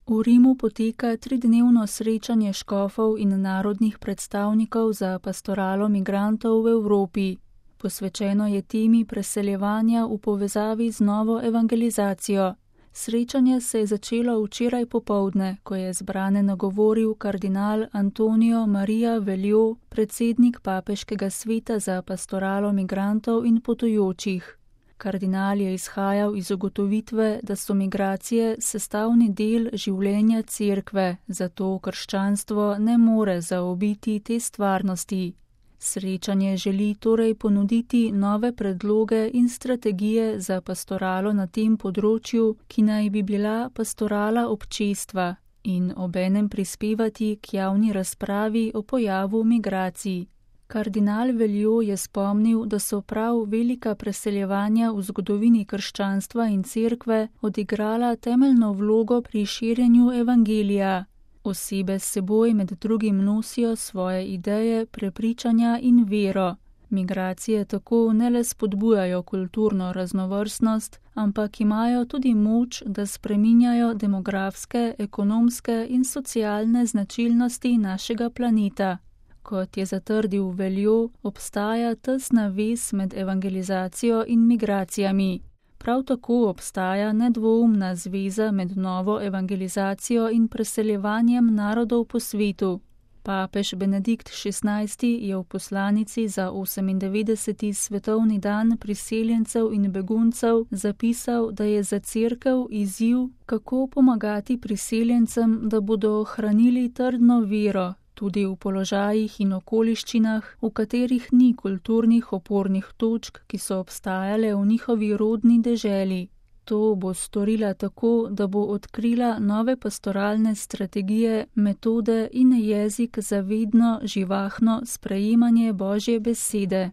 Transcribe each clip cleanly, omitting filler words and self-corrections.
V Rimu poteka 3-dnevno srečanje škofov in narodnih predstavnikov za pastoralo migrantov v Evropi. Posvečeno je temi preseljevanja v povezavi z novo evangelizacijo. Srečanje se je začelo včeraj popoldne, ko je zbrane nagovoril kardinal Antonio Maria Velio, predsednik Papeškega sveta za pastoralo migrantov in potujočih. Kardinal je izhajal iz ugotovitve, da so migracije sestavni del življenja cerkve, zato krščanstvo ne more zaobiti te stvarnosti. Srečanje želi torej ponuditi nove predloge in strategije za pastoralo na tem področju, ki naj bi bila pastorala občestva, in obenem prispevati k javni razpravi o pojavu migracij. Kardinal Velio je spomnil, da so prav velika preseljevanja v zgodovini krščanstva in cerkve odigrala temeljno vlogo pri širjenju evangelija. Osebe s seboj med drugim nosijo svoje ideje, prepričanja in vero. Migracije tako ne le spodbujajo kulturno raznovrstnost, ampak imajo tudi moč, da spreminjajo demografske, ekonomske in socialne značilnosti našega planeta. Kot je zatrdil Velio, obstaja tesna vez med evangelizacijo in migracijami. Prav tako obstaja nedvoumna zveza med novo evangelizacijo in preseljevanjem narodov po svetu. Papež Benedikt XVI je v poslanici za 98. svetovni dan priseljencev in beguncev zapisal, da je za cerkev izziv, kako pomagati priseljencem, da bodo ohranili trdno vero, tudi v položajih in okoliščinah, v katerih ni kulturnih opornih točk, ki so obstajale v njihovi rodni deželi. To bo storila tako, da bo odkrila nove pastoralne strategije, metode in jezik za vedno živahno sprejemanje Božje besede.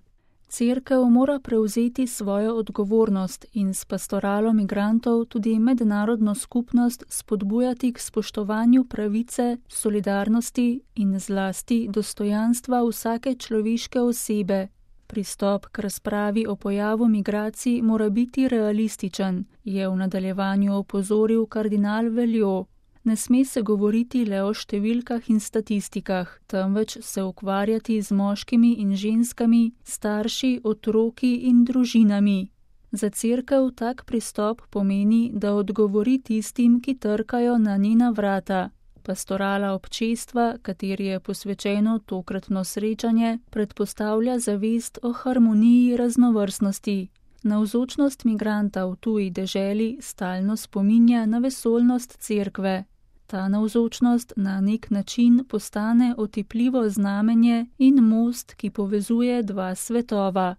Cerkev mora prevzeti svojo odgovornost in s pastoralo migrantov tudi mednarodno skupnost spodbujati k spoštovanju pravice, solidarnosti in zlasti dostojanstva vsake človeške osebe. Pristop k razpravi o pojavu migracij mora biti realističen, je v nadaljevanju opozoril kardinal Velio. Ne sme se govoriti le o številkah in statistikah, temveč se ukvarjati z moškimi in ženskami, starši, otroki in družinami. Za cerkev tak pristop pomeni, da odgovori tistim, ki trkajo na njena vrata. Pastorala občestva, kateri je posvečeno tokratno srečanje, predpostavlja zavest o harmoniji raznovrstnosti. Navzočnost migranta v tuji deželi stalno spominja na vesoljnost cerkve. Ta navzočnost na nek način postane otipljivo znamenje in most, ki povezuje dva svetova.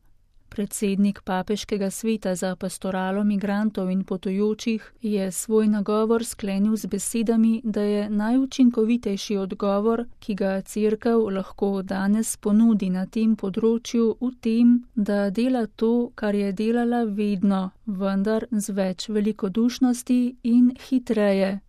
Predsednik Papeškega sveta za pastoralo migrantov in potujočih je svoj nagovor sklenil z besedami, da je najučinkovitejši odgovor, ki ga cerkev lahko danes ponudi na tem področju, v tem, da dela to, kar je delala vedno, vendar z več velikodušnosti in hitreje.